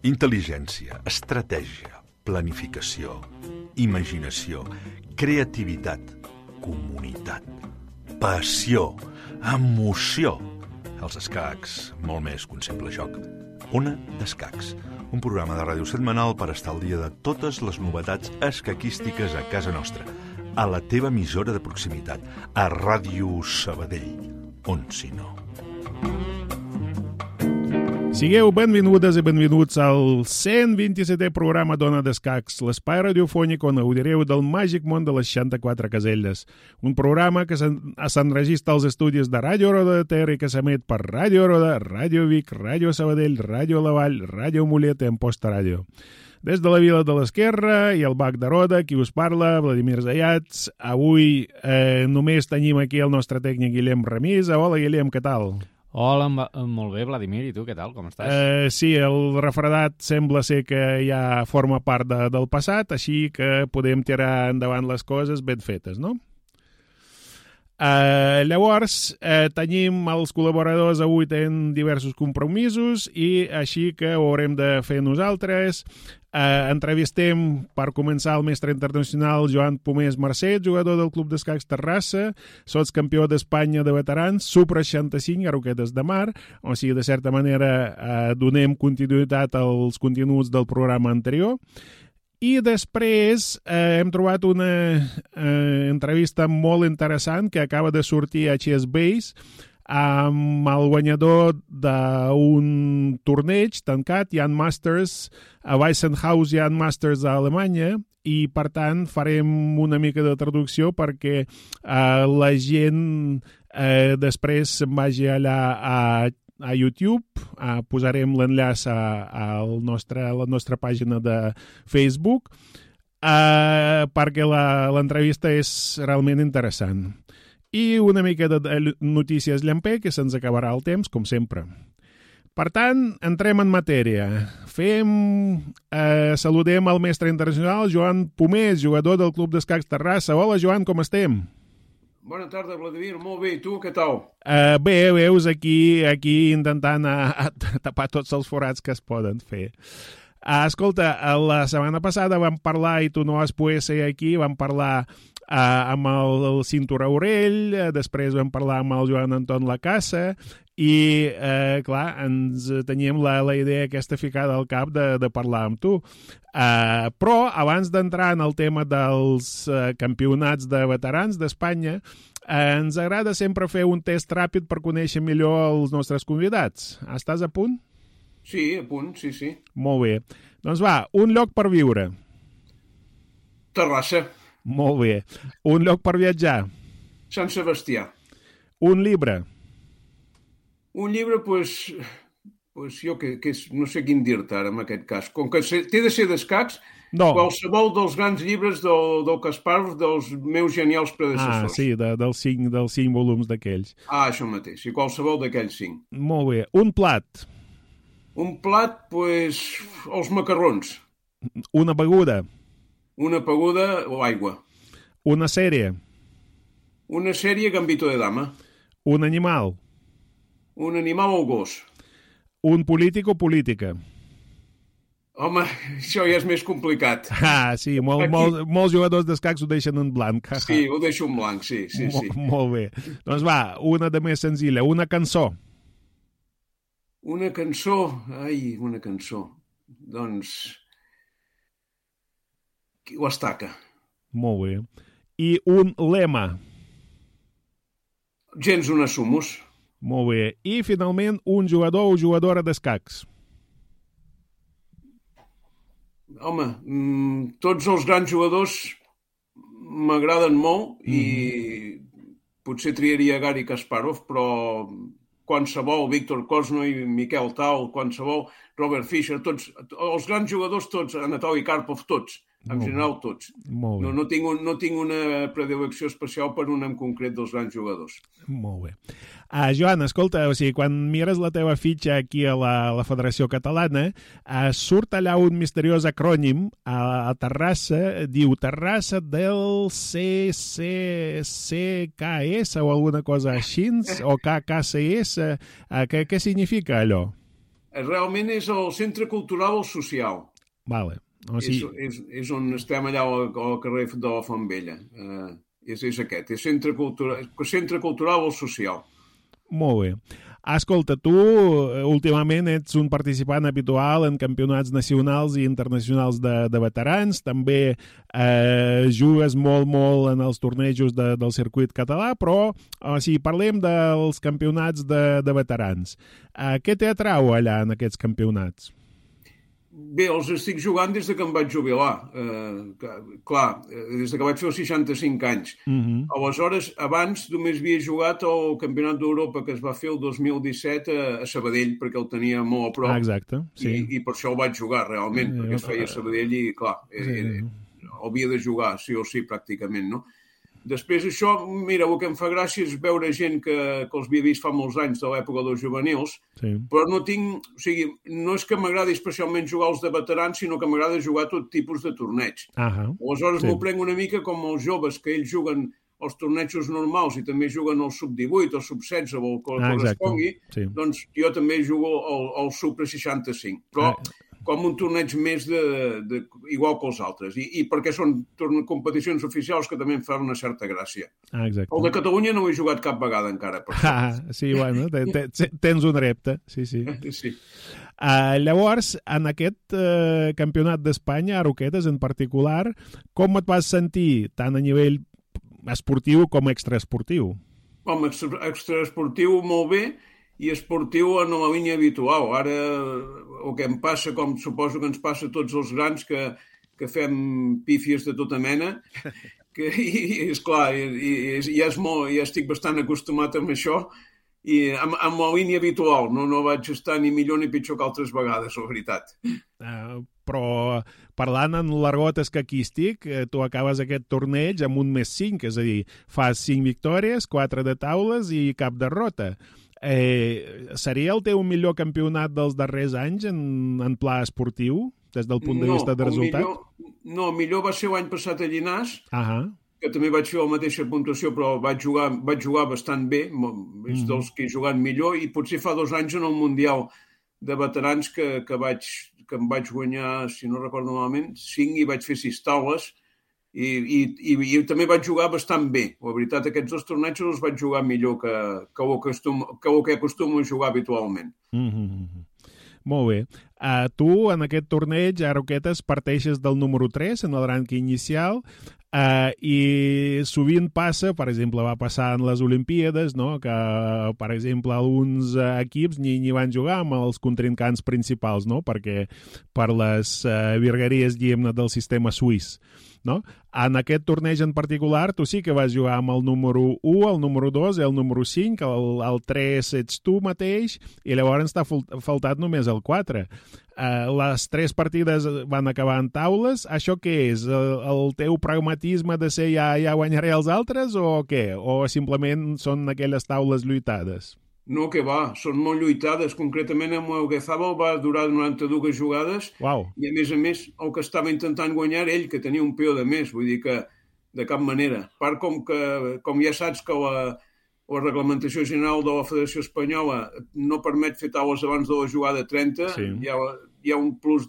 Intel·ligència, estratègia, planificació, imaginació, creativitat, comunitat, passió, emoció. Els escacs, molt més que un simple joc. Ona d'Escacs, un programa de ràdio setmanal per estar al dia de totes les novetats escaquístiques a casa nostra, a la teva emissora de proximitat, a Ràdio Sabadell, on si no. Sigueu benvingudes i benvinguts al 127è programa d'Ona d'Escacs, l'espai radiofònic on gaudireu del màgic món de les 64 caselles. Un programa que s'enregistra als estudis de Ràdio Roda de Ter i que s'emet per Ràdio Roda, Ràdio Vic, Ràdio Sabadell, Ràdio La Vall, Ràdio Mollet i Amposta Ràdio. Des de la Vila de l'Esquerra i el Bac de Roda, qui us parla, Vladimir Zayats. Avui només tenim aquí el nostre tècnic Guillem Remisa. Hola, Guillem, què tal? Hola, molt bé, Vladimir, i tu, què tal, com estàs? Sí, el refredat sembla ser que ja forma part del passat, així que podem tirar endavant les coses ben fetes, no? Llavors, tenim els col·laboradors, avui tenen diversos compromisos i així que ho haurem de fer nosaltres. Entrevistem per començar el mestre internacional Joan Pomés Marcet, jugador del Club d'Escacs Terrassa, sotscampió d'Espanya de veterans, Super-65 a Roquetes de Mar, o sigui, de certa manera donem continuïtat als continguts del programa anterior. I després hem trobat una entrevista molt interessant que acaba de sortir a ChessBase amb el guanyador d'un torneig tancat, Jan Masters, a Weissenhaus Jan Masters a Alemanya, i per tant farem una mica de traducció perquè la gent després se'n vagi allà a YouTube. Posarem l'enllaç a la nostra pàgina de Facebook perquè l'entrevista és realment interessant. I una mica de notícies llampé, que se'ns acabarà el temps, com sempre. Per tant, entrem en matèria. Saludem el mestre internacional Joan Pomés, jugador del Club d'Escacs Terrassa. Hola, Joan, com estem? Bona tarda, Vladimir. Molt bé, i tu, què tal? Bé, veus, aquí intentant tapar tots els forats que es poden fer. Escolta, la setmana passada vam parlar, i tu no vas poder ser aquí, vam parlar amb el Cinturó Aurell, després vam parlar amb el Joan Anton Lacassa, i, clar, ens teníem la idea aquesta ficada al cap de parlar amb tu. Però, abans d'entrar en el tema dels campionats de veterans d'Espanya, ens agrada sempre fer un test ràpid per conèixer millor els nostres convidats. Estàs a punt? Sí, a punt, sí. Molt bé. Doncs va, un lloc per viure. Terrassa. Molt bé. Un lloc per viatjar. Sant Sebastià. Un llibre. Un llibre, doncs jo que no sé quin dir-te ara en aquest cas. Com que té de ser d'escacs, no. Qualsevol dels grans llibres del Kasparov, dels meus genials predecessors. Sí, dels cinc volums d'aquells. Això mateix, sí, qualsevol d'aquells 5. Molt bé. Un plat. Un plat, doncs, els macarrons. Una beguda. Una beguda o aigua. Una sèrie. Una sèrie Gambito de Dama. Un animal. Un animal o gos. Un polític o política. Home, això ja és més complicat. Sí, molts jugadors d'escacs ho deixen en blanc. Sí, ho deixo en blanc, sí. Molt bé. Doncs va, una de més senzilla. Una cançó. Una cançó. Una cançó. Doncs ho estaca. Molt bé. I un lema. Gens una sumus. Molt bé. I, finalment, un jugador o jugadora d'escacs. Home, tots els grans jugadors m'agraden molt i potser triaria Garry Kasparov, però qualsevol, Víctor Korchnoi, Miquel Tal, qualsevol, Robert Fischer, tots, els grans jugadors tots, Anatoly Karpov, tots. En general, tots. No tinc una predilecció especial per un en concret dels grans jugadors. Molt bé. Joan, escolta, o sigui, quan mires la teva fitxa aquí a la Federació Catalana, surt allà un misteriós acrònim a Terrassa, diu Terrassa del CCCKS o alguna cosa així, o KKCS. Què significa allò? Realment és el Centre Cultural Social. Vale. O sigui... és on estem allà al carrer de la Font Vella. És aquest, és Centre Cultural Social. Molt bé. Escolta, tu últimament ets un participant habitual en campionats nacionals i internacionals de veterans, també jugues molt en els tornejos del circuit català, però si parlem dels campionats de veterans, què t'atrau allà en aquests campionats? Bé, els estic jugant des que em vaig jubilar. Clar, des que vaig fer els 65 anys. Aleshores, abans només havia jugat al Campionat d'Europa que es va fer el 2017 a Sabadell, perquè el tenia molt a prop. Exacte, sí. I per això el vaig jugar, realment, perquè es feia a Sabadell i, clar, havia de jugar, sí o sí, pràcticament, no? Després això, mira, el que em fa gràcia és veure gent que els havia vist fa molts anys de l'època dels juvenils, però no tinc... O sigui, no és que m'agradi especialment jugar als de veterans, sinó que m'agrada jugar tot tipus de torneig. Aleshores m'ho prenc una mica com els joves, que ells juguen els tornejos normals i també juguen el sub-18 o sub-16 o el que correspongui, doncs jo també jugo al sub-65. Però com un torneig més igual que els altres. I perquè són competicions oficials que també em fan una certa gràcia. El de Catalunya no ho he jugat cap vegada encara. Sí, bueno, tens un repte. Sí. Llavors, en aquest campionat d'Espanya, a Roquetes en particular, com et vas sentir tant a nivell esportiu com extraesportiu? Home, extraesportiu molt bé, i esportiu en la línia habitual. Ara, el que em passa, com suposo que ens passa a tots els grans, que fem pífies de tota mena, i és clar, ja estic bastant acostumat amb això, i amb la línia habitual. No vaig estar ni millor ni pitjor que altres vegades, la veritat. Però parlant en l'argot escaquístic, tu acabes aquest torneig amb un +5, és a dir, fas 5 victòries, 4 de taules i cap derrota. Seria el teu millor campionat dels darrers anys en pla esportiu, des del punt de vista de resultat? No, millor va ser l'any passat a Llinars, que també vaig fer la mateixa puntuació, però vaig jugar bastant bé, és dels que he jugat millor, i potser fa 2 anys en el Mundial de veterans que em vaig guanyar, si no recordo malament, 5 i vaig fer 6 taules, i també vaig jugar bastant bé. La veritat, aquests 2 tornejos els vaig jugar millor que el que acostumo a jugar habitualment. Molt bé. Tu, en aquest torneig, a Roquetes, parteixes del número 3 en el rànquing inicial, i sovint passa, per exemple, va passar en les Olimpíades, no? Que, per exemple, alguns equips ni van jugar amb els contrincants principals, no? Perquè per les virgueries, diguem-ne, del sistema suís. No? En aquest torneig en particular tu sí que vas jugar amb el número 1, el número 2 i el número 5, el 3 ets tu mateix i llavors t'ha faltat només el 4. Les 3 partides van acabar en taules. Això què és? El teu pragmatisme de ser ja guanyaré els altres o què? O simplement són aquelles taules lluitades? No, que va, són molt lluitades. Concretament, amb el Guezabal va durar 92 jugades. I, a més, el que estava intentant guanyar ell, que tenia un peó de més, vull dir que de cap manera. A part, com ja saps que la reglamentació general de la Federació Espanyola no permet fer taules abans de la jugada 30, hi ha un plus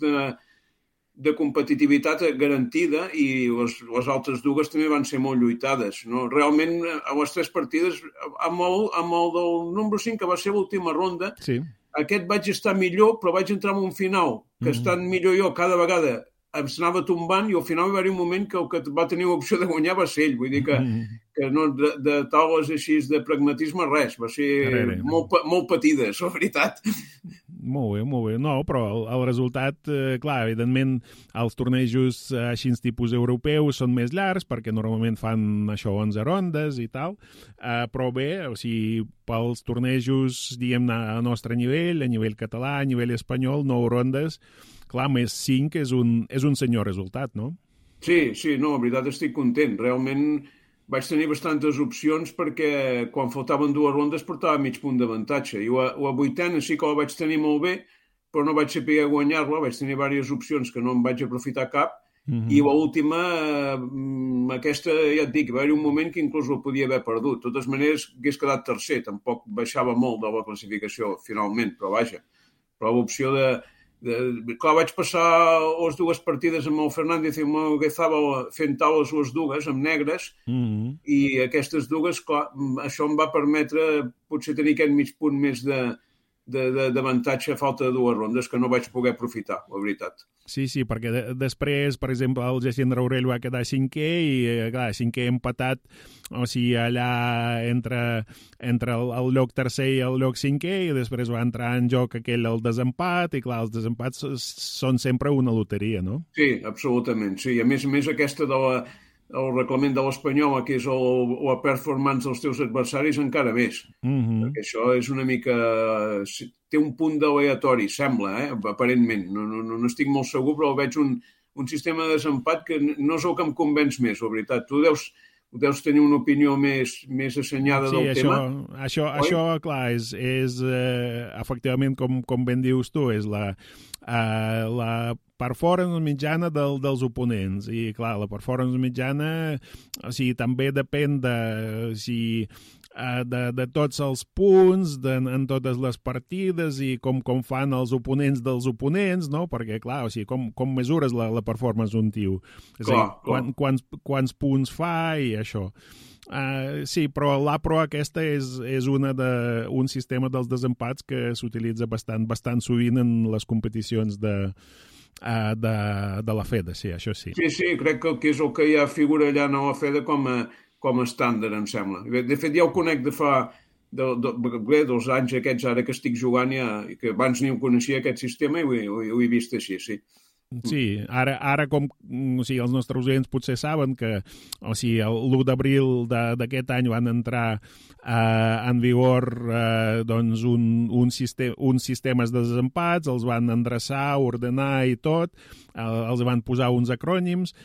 de competitivitat garantida, i les altres dues també van ser molt lluitades. No? Realment, a les 3 partides, amb el del número 5, que va ser l'última ronda, aquest vaig estar millor, però vaig entrar en un final, que estant millor jo cada vegada em s'anava tombant, i al final va haver un moment que el que va tenir l'opció de guanyar va ser ell. Vull dir que no, de taules així de pragmatisme, res. Va ser molt patides, la veritat. Molt bé. No, però el resultat, clar, evidentment, els tornejos així tipus europeus són més llargs, perquè normalment fan això 11 rondes i tal, però bé, o sigui, pels tornejos, diguem-ne, a nostre nivell, a nivell català, a nivell espanyol, 9 rondes, clar, més 5 és un senyor resultat, no? Sí, no, la veritat estic content. Realment vaig tenir bastantes opcions perquè quan faltaven 2 rondes portava mig punt d'avantatge. I la 8a sí que la vaig tenir molt bé, però no vaig saber guanyar-la. Vaig tenir diverses opcions que no em vaig aprofitar cap. I l'última, aquesta, ja et dic, va haver un moment que inclús el podia haver perdut. De totes maneres, hagués quedat tercer. Tampoc baixava molt de la classificació finalment, però vaja. però l'opció clar, vaig passar les dues partides amb el Fernández i amb el Guezabal fent taules les dues, amb negres, i aquestes dues, clar, això em va permetre potser tenir aquest mig punt més d'avantatge a falta de dues rondes que no vaig poder aprofitar, la veritat. Sí, perquè després, per exemple, el Jacint Raurell va quedar cinquè i, clar, cinquè empatat, o sigui, allà entre el lloc tercer i el lloc cinquè, i després va entrar en joc el desempat, i clar, els desempats són sempre una loteria, no? Sí, absolutament, sí. A més aquesta el reglament de l'Espanyol, que és la performance dels teus adversaris, encara més. Perquè això és una mica... Té un punt d'aleatori, sembla, aparentment. No estic molt segur, però veig un sistema de desempat que no és el que em convenç més, la veritat. Tu deus tenir una opinió més assenyada del tema. Sí, això, clar, és efectivament, com ben dius tu, és la performance mitjana dels oponents. I, clar, la performance mitjana, o sigui, també depèn de tots els punts, en totes les partides i com fan els oponents dels oponents, no? Perquè, clar, o sigui, com mesures la performance d'un tio? És a dir, quants punts fa i això. Sí, però l'APRO aquesta és un sistema dels desempats que s'utilitza bastant sovint en les competicions de la FEDA, sí, això sí. Sí, crec que és el que ja figura allà a la FEDA com a estàndard, em sembla. De fet, ja ho conec de fa dels anys aquests ara que estic jugant, que abans ni ho coneixia aquest sistema i ho he vist així, sí. Sí, ara com o sigui, els nostres oients potser saben que l'1 d'abril d'aquest any van entrar en vigor doncs uns sistemes de desempats, els van endreçar, ordenar i tot, els van posar uns acrònims.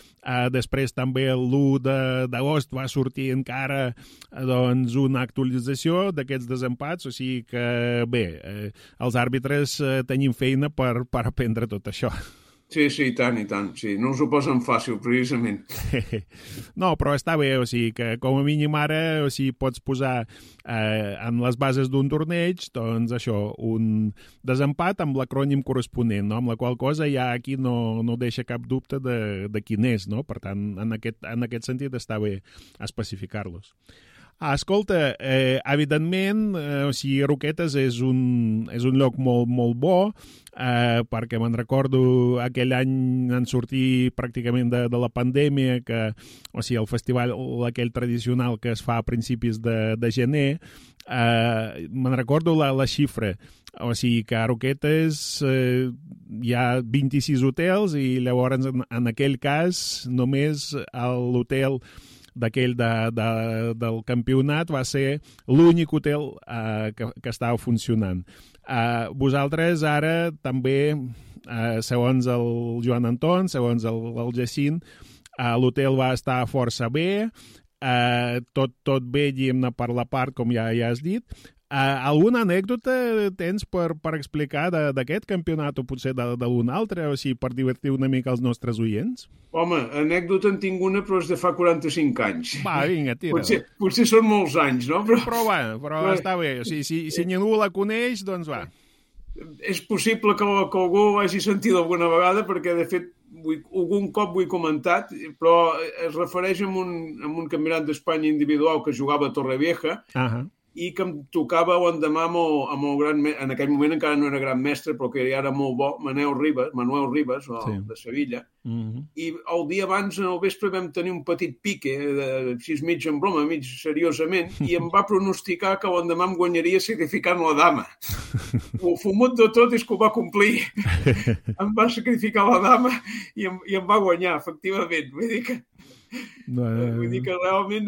Després també l'1 d'agost va sortir encara doncs, una actualització d'aquests desempats, o sigui que bé, els àrbitres tenim feina per aprendre tot això. Sí, i tant, sí. No us ho posen fàcil, precisament. No, però està bé, o sigui que com a mínim ara pots posar en les bases d'un torneig, doncs això, un desempat amb l'acrònim corresponent, no? Amb la qual cosa ja aquí no deixa cap dubte de quin és, no? Per tant, en aquest sentit està bé especificar-los. Escolta, evidentment, Roquetes és un lloc molt, molt bo, perquè me'n recordo aquell any en sortir pràcticament de la pandèmia, que, el festival aquell tradicional que es fa a principis de gener, me'n recordo la xifra, o sigui que a Roquetes hi ha 26 hotels i llavors en aquell cas només l'hotel d'aquell del campionat va ser l'únic hotel que estava funcionant. Vosaltres ara també, segons el Joan Anton, segons el Jacint, l'hotel va estar força bé, tot bé, diguem-ne, per la part, com ja has dit. Alguna anècdota tens per explicar d'aquest campionat o potser d'un altre, o sigui, per divertir una mica els nostres oients? Home, anècdota en tinc una, però és de fa 45 anys. Va, vinga, tira. Potser són molts anys, no? Però està bé, o sigui, si ningú la coneix, doncs va. És possible que algú hagi sentit alguna vegada, perquè, de fet, algun cop ho he comentat, però es refereix a un campionat d'Espanya individual que jugava a Torrevieja, i que em tocava l'endemà amb el gran... En aquell moment encara no era gran mestre, però que ja era molt bo, Manuel Ribas, de Sevilla. I el dia abans, al vespre, vam tenir un petit pique, així mig en broma, mig seriosament, i em va pronosticar que l'endemà em guanyaria sacrificant la dama. El fumut de tot és que ho va complir. Em va sacrificar la dama i em va guanyar, efectivament. Vull dir que realment,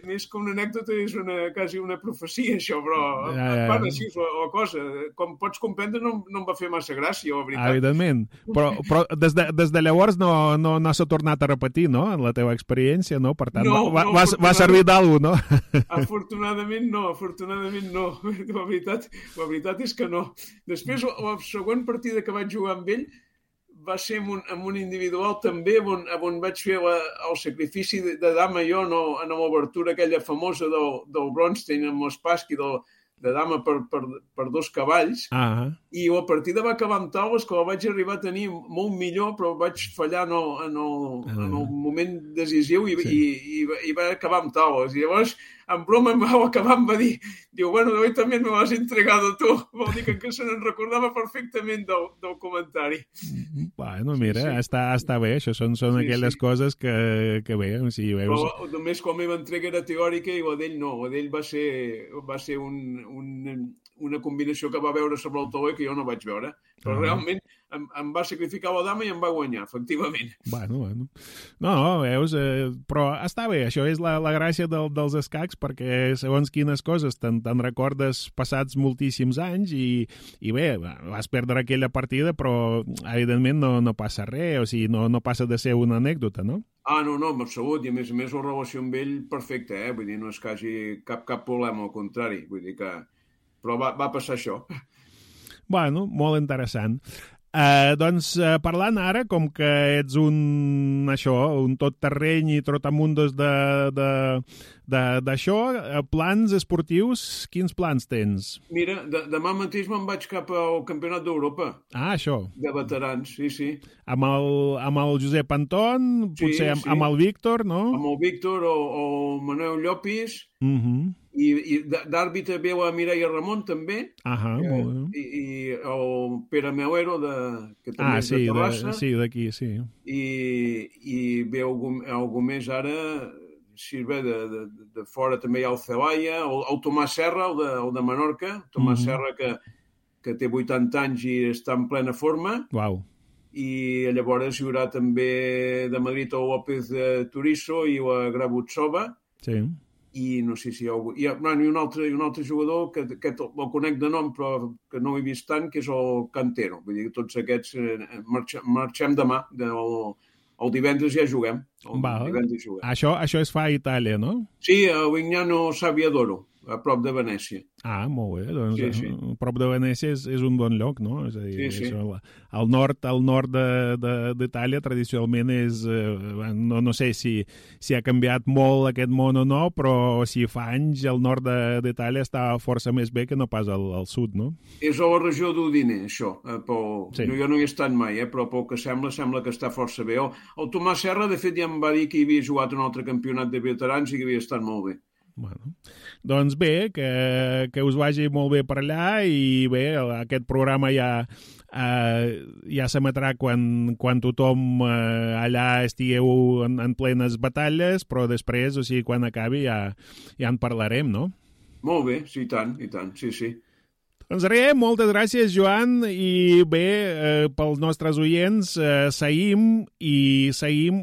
més que una anècdota, és quasi una profecia, això, però van així la cosa. Com pots comprendre, no em va fer massa gràcia, la veritat. Evidentment, però des de llavors no s'ha tornat a repetir, no?, en la teva experiència, no? Per tant, va servir d'alguna, no? Afortunadament no. La veritat és que no. Després, la següent partida que vaig jugar amb ell va ser en un individual també on vaig fer el sacrifici de dama jo en l'obertura aquella famosa del Bronstein amb l'Spassky, dama per 2 cavalls, i la partida va acabar amb taules que la vaig arribar a tenir molt millor, però vaig fallar en el moment decisiu i va acabar amb taules. I llavors, en broma, em va acabar, em va dir, bueno, hoy també me l'has entregado tu. Vol dir que se n'en recordava perfectament del comentari. Bueno, mira, està bé, això són aquelles coses que bé, o sigui, veus... Però només com la meva entrega era teòrica i la d'ell no, la d'ell va ser una combinació que va veure sobre el tauler que jo no vaig veure, però realment em va sacrificar la dama i em va guanyar, efectivament. Bueno. No, veus, però està bé, això és la gràcia dels escacs, perquè segons quines coses te'n recordes passats moltíssims anys i bé, vas perdre aquella partida, però evidentment no passa res, o sigui, no passa de ser una anècdota, no? No, en absolut, i a més la relació amb ell perfecta, vull dir, no és que hagi cap problema, al contrari, vull dir que... Però va passar això. Bueno, molt interessant. Doncs parlant ara, com que ets un tot-terreny i trotamundos d'això, plans esportius, quins plans tens? Mira, demà mateix me'n vaig cap al Campionat d'Europa. Això. De veterans, sí. Amb el Josep Anton, potser amb el Víctor, no? Amb el Víctor o Manuel Llopis. I d'àrbitre veu a Mireia Ramon, també. Molt bé. I el Pere Melero, que també és de Terrassa. Sí, d'aquí, sí. I ve algú més ara, si ve de fora també hi ha el Celaya, el Tomàs Serra, el de Menorca, Tomàs Serra, que té 80 anys i està en plena forma. Uau. I llavors hi haurà també de Madrid el López de Turizo i la Grabutsova. Sí. I no sé si hi ha algú... I un altre jugador que el conec de nom però que no he vist tant, que és el Cantero. Vull dir que tots aquests marxem demà. El divendres ja juguem. Això es fa a Itàlia, no? Sí, a Vignano Sabbiadoro, a prop de Venècia. Molt bé. Doncs sí. A prop de Venècia és un bon lloc, no? És a dir, sí. Al nord d'Itàlia tradicionalment és... No sé si ha canviat molt aquest món o no, però si fa anys el nord d'Itàlia està força més bé que no pas al sud, no? És a la regió d'Udine, això. Jo no hi he estat mai, però pel que sembla que està força bé. El Tomàs Serra, de fet, ja em va dir que hi havia jugat un altre campionat de veterans i que havia estat molt bé. Bueno, doncs bé, que us vagi molt bé per allà i bé, aquest programa ja s'emetrà quan tothom allà estigueu en plenes batalles, però després, o sigui, quan acabi ja en parlarem, no? Molt bé, sí, i tant, sí. Doncs res, moltes gràcies, Joan, i bé, pels nostres oients, seguim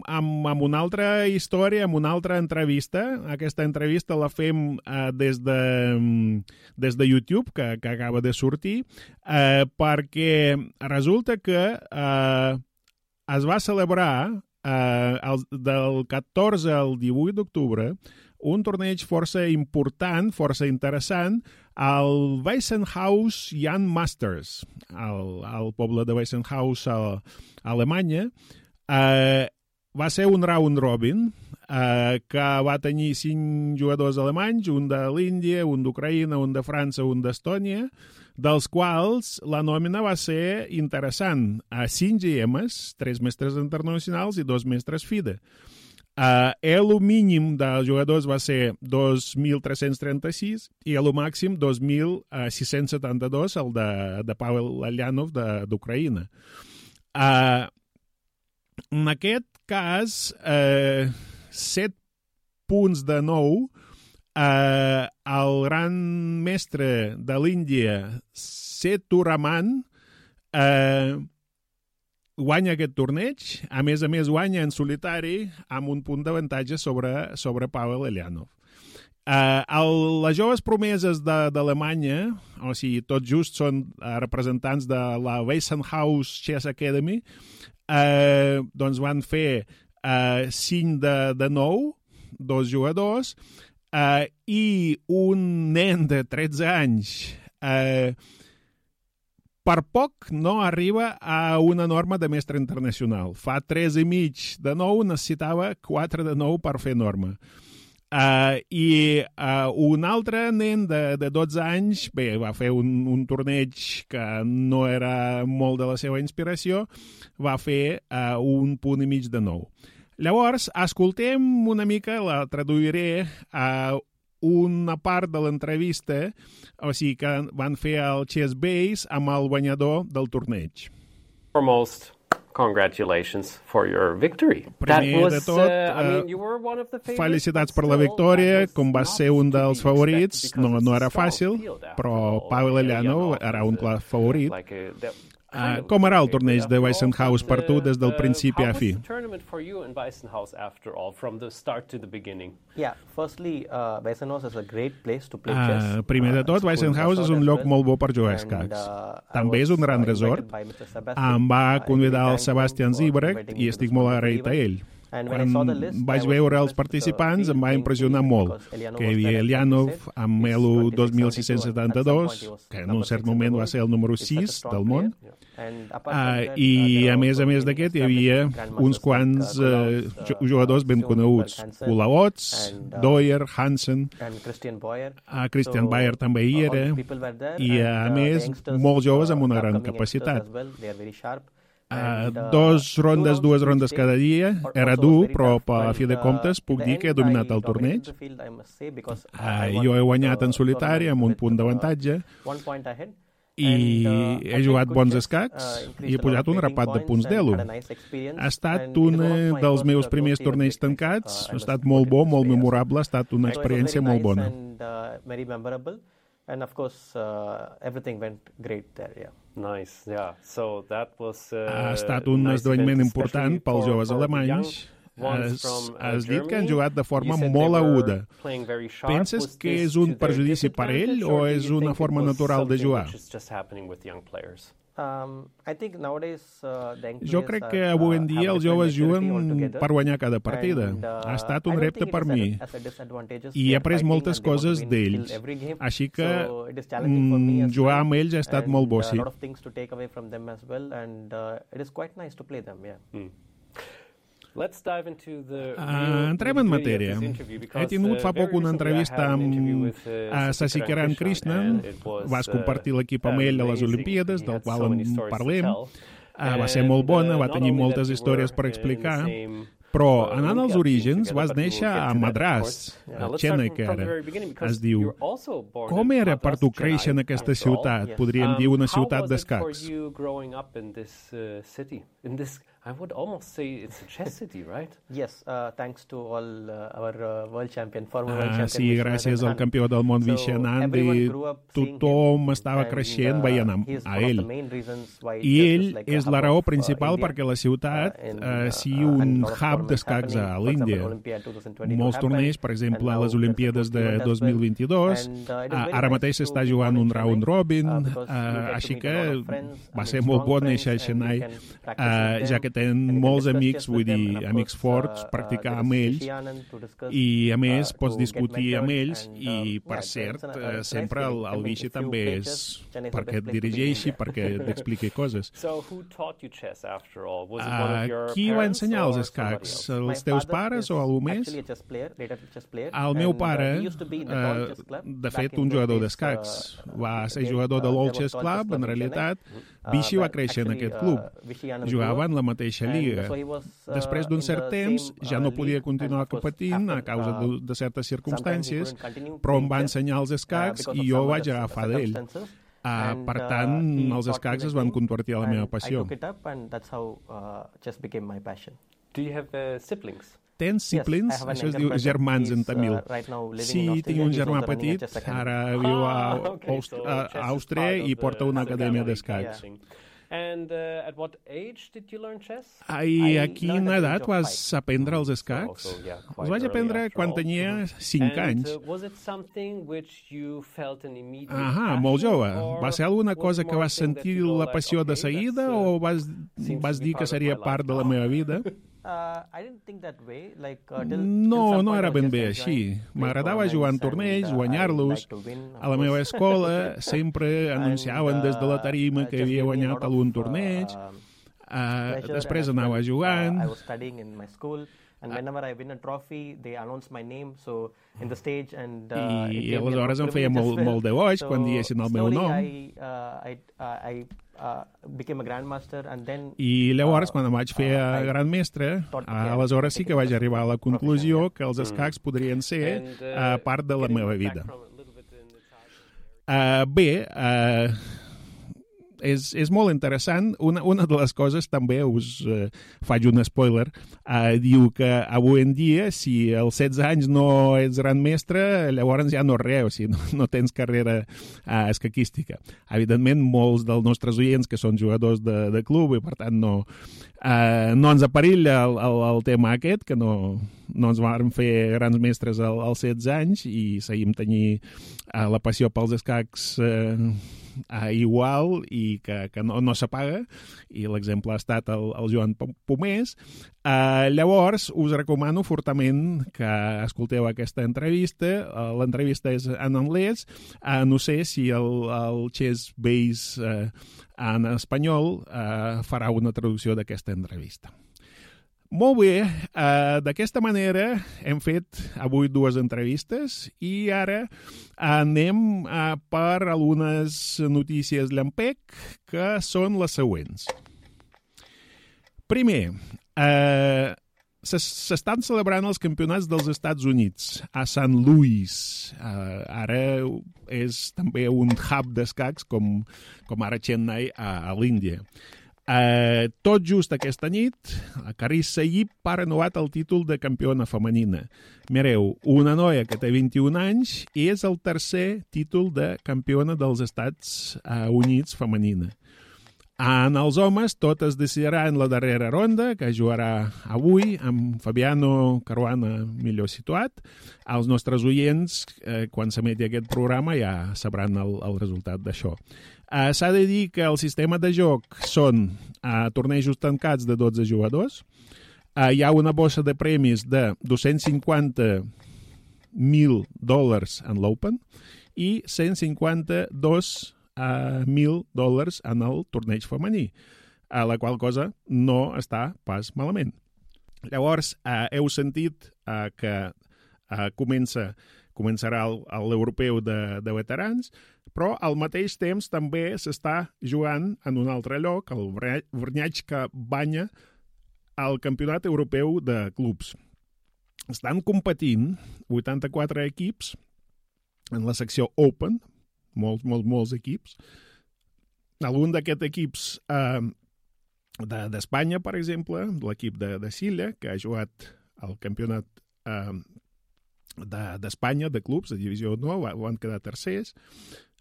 amb una altra història, amb una altra entrevista. Aquesta entrevista la fem des de YouTube, que acaba de sortir, perquè resulta que es va celebrar del 14 al 18 d'octubre un torneig força important, força interessant, al Weissenhaus Young Masters, al poble de Weissenhaus a Alemanya. Va ser un round robin que va tenir 5 jugadors alemanys, un de l'Índia, un d'Ucraïna, un de França, un d'Estònia, dels quals la nòmina va ser interessant. 5 GMs, 3 mestres internacionals i 2 mestres FIDE. El mínim dels jugadors va ser 2.336 i el màxim 2.672, el de Pavel Alyanov d'Ucraïna. En aquest cas, 7 punts de 9, el gran mestre de l'Índia, Sethuraman, guanya aquest torneig, a més guanya en solitari amb un punt d'avantatge sobre Pavel Alyanov. Les joves promeses d'Alemanya, o sigui, tot just són representants de la Weissenhaus Chess Academy, doncs van fer 5 de 9, 2 jugadors, i un nen de 13 anys per poc no arriba a una norma de mestre internacional. Fa 3,5 de 9, necessitava 4 de 9 per fer norma. I un altre nen de 12 anys, bé, va fer un torneig que no era molt de la seva inspiració, va fer 1,5 punts de 9. Llavors, escoltem una mica, la traduiré a una part de l'entrevista, o sigui que van fer el Chess Base amb el guanyador del torneig. Foremost, congratulations for your victory. Primer de tot, felicitats per la victòria, com vas ser un dels favorits, no era fàcil, però Pavel Elyanov era un clar favorit. Com era el torneig de Weissenhaus per tu des del principi a fi? Primer de tot, Weissenhaus és un lloc molt bo per jugar a escacs. També és un gran resort. Em va convidar el Sebastian Zibrecht i estic molt agraït a ell. Quan vaig veure els participants em va impressionar molt, que hi havia Elyanov amb Elo 2672, que en un cert moment va ser el número 6 del món, i a més d'aquest hi havia uns quants jugadors ben coneguts, Kulaots, Doyer, Hansen, Christian Bayer també hi era, i a més molts joves amb una gran capacitat. Dues rondes cada dia, era dur, però a fi de comptes puc dir que he dominat el torneig. Jo he guanyat en solitari amb un punt d'avantatge i he jugat bons escacs i he pujat un rapat de punts d'Elo. Ha estat un dels meus primers torneigs tancats, ha estat molt bo, molt memorable, ha estat una experiència molt bona. And of course, everything went great there, yeah. Nice, yeah. So that was ha estat un esdeveniment important pels joves alemanys. Has dit que han jugat de forma molt aguda. Penses que és un perjudici per ell o és una forma natural de jugar? Jo crec que avui en dia els joves juguen per guanyar cada partida. Ha estat un repte per mi i he après moltes coses d'ells. Així que jugar amb ells ha estat molt bo, sí. Entrem en matèria. He tingut fa poc una entrevista amb Sasikiran Krishnan. Vas compartir l'equip amb ell a les Olimpíades, del qual en parlem. Va ser molt bona, va tenir moltes històries per explicar. Però, anant als orígens, vas néixer a Madras, a Chennai, que era. Es diu, com era per tu créixer en aquesta ciutat? Podríem dir una ciutat d'escacs. I would almost say it's a chess city, right? Yes, thanks to all our world champion, former world champion. Sí, gràcies al campió del món Vishen Andy, tothom estava creixent veient a ell. I ell és la raó principal perquè la ciutat sigui un hub d'escacs a l'Índia. Molts torneigs, per exemple, a les Olimpíades de 2022, ara mateix s'està jugant un round robin, així que va ser molt bo néixer a Chennai, ja que tenen molts amics, vull dir, amics forts, practicar amb ells i, a més, pots discutir amb ells i, per cert, sempre el Vichy també és perquè et dirigeixi, perquè t'expliqui coses. Qui va ensenyar els escacs? Els teus pares o algú més? El meu pare, de fet, un jugador d'escacs, va ser jugador de l'Old Chess Club, en realitat. Vichy va créixer en aquest club. Jugava en la mateixa lliga. Després d'un cert temps ja no podia continuar competint a causa de certes circumstàncies, però em va ensenyar els escacs i jo vaig agafar d'ell. Per tant, els escacs es van convertir a la meva passió. Do you have siblings? Tens siblings? Això es diu germans en tamil. Sí, tinc un germà petit, ara viu a Àustria i porta una acadèmia d'escacs. And at what age did you learn chess? I a quina edat vas aprendre els escacs? Els vaig aprendre quan tenia 5 anys. Molt jove. Va ser alguna cosa que vas sentir la passió de seguida o vas dir que seria part de la meva vida? No era ben bé així. M'agradava jugar en torneigs, guanyar-los. A la meva escola sempre anunciaven des de la tarima que havia guanyat algun torneig. Després anava jugant. And whenever I win a trophy, they announce my name, so in the stage, and I aleshores em feia molt de goig quan diguessin el meu nom. I became a grandmaster, and then I llavors, quan em vaig fer gran mestre, aleshores sí que vaig arribar a la conclusió que els escacs podrien ser part de la meva vida. Bé, és molt interessant. Una de les coses, també us faig un spoiler, diu que avui en dia, si als 16 anys no ets gran mestre, llavors ja no res, o sigui, no tens carrera escaquística. Evidentment, molts dels nostres oients que són jugadors de club i, per tant, no ens aperilla el tema aquest, que no ens vam fer grans mestres als 16 anys i seguim tenint la passió pels escacs igual i que no s'apaga, i l'exemple ha estat el Joan Pomés. Llavors, us recomano fortament que escolteu aquesta entrevista. L'entrevista és en anglès. No sé si el Chess Base en espanyol farà una traducció d'aquesta entrevista. Molt bé, d'aquesta manera hem fet avui 2 entrevistes i ara anem per algunes notícies llampec, que són les següents. Primer, s'estan celebrant els campionats dels Estats Units a St. Louis. Ara és també un hub d'escacs com ara Chennai a l'Índia. Tot just aquesta nit, Carissa Yip ha renovat el títol de campiona femenina. Mireu, una noia que té 21 anys i és el tercer títol de campiona dels Estats Units femenina. En els homes, tot es decidirà en la darrera ronda, que jugarà avui amb Fabiano Caruana millor situat. Els nostres oients, quan s'emeti aquest programa, ja sabran el resultat d'això. S'ha de dir que el sistema de joc són tornejos tancats de 12 jugadors. Hi ha una bossa de premis de $250,000 en l'Open i $152,000 en el torneig femení, la qual cosa no està pas malament. Llavors, heu sentit que començarà l'europeu de veterans, però al mateix temps també s'està jugant en un altre lloc, el Vrnjačka Banja, al Campionat Europeu de Clubs. Estan competint 84 equips en la secció Open, molts equips. Algun d'aquests equips d'Espanya, per exemple, l'equip de Silla, que ha jugat al Campionat d'Espanya de clubs, de divisió 9, van quedar tercers.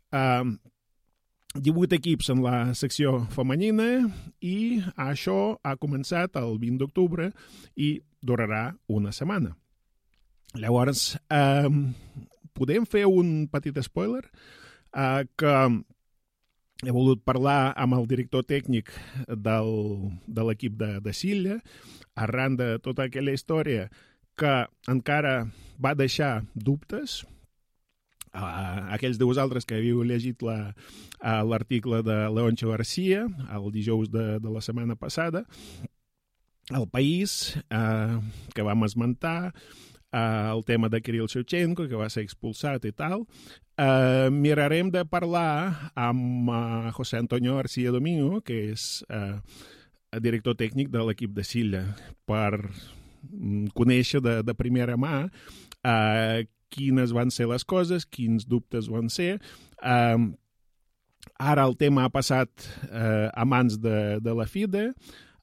18 equips en la secció femenina i això ha començat el 20 d'octubre i durarà una setmana. Llavors, podem fer un petit spoiler que he volgut parlar amb el director tècnic de l'equip de Silla arran de tota aquella història que encara va deixar dubtes. Aquells de vosaltres que havíeu llegit l'article de Leoncio García el dijous de la setmana passada, El País, que vam esmentar, el tema de Kirill Shevchenko, que va ser expulsat i tal, mirarem de parlar amb José Antonio García Domingo, que és director tècnic de l'equip de Silla, per conèixer de primera mà quines van ser les coses, quins dubtes van ser. Ara el tema ha passat a mans de la FIDE,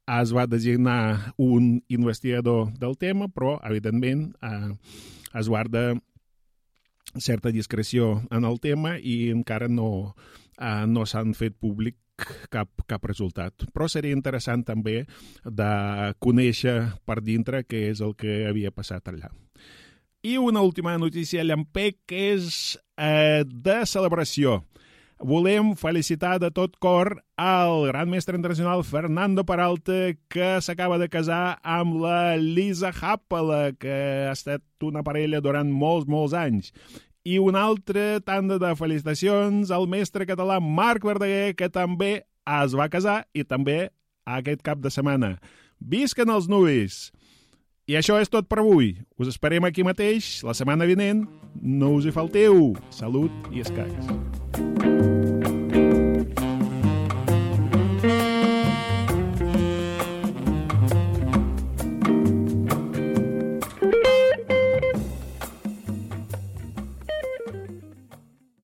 es va designar un investigador del tema, però, evidentment, es guarda certa discreció en el tema i encara no s'han fet públic cap resultat. Però seria interessant també de conèixer per dintre què és el que havia passat allà. I una última notícia llampec que és de celebració. Volem felicitar de tot cor al gran mestre internacional Fernando Peralta, que s'acaba de casar amb la Lisa Happala, que ha estat una parella durant molts anys. I una altra tanda de felicitacions al mestre català Marc Verdaguer, que també es va casar i també aquest cap de setmana. Visquen els nuvis! I això és tot per avui. Us esperem aquí mateix, la setmana vinent. No us hi falteu. Salut i escacs.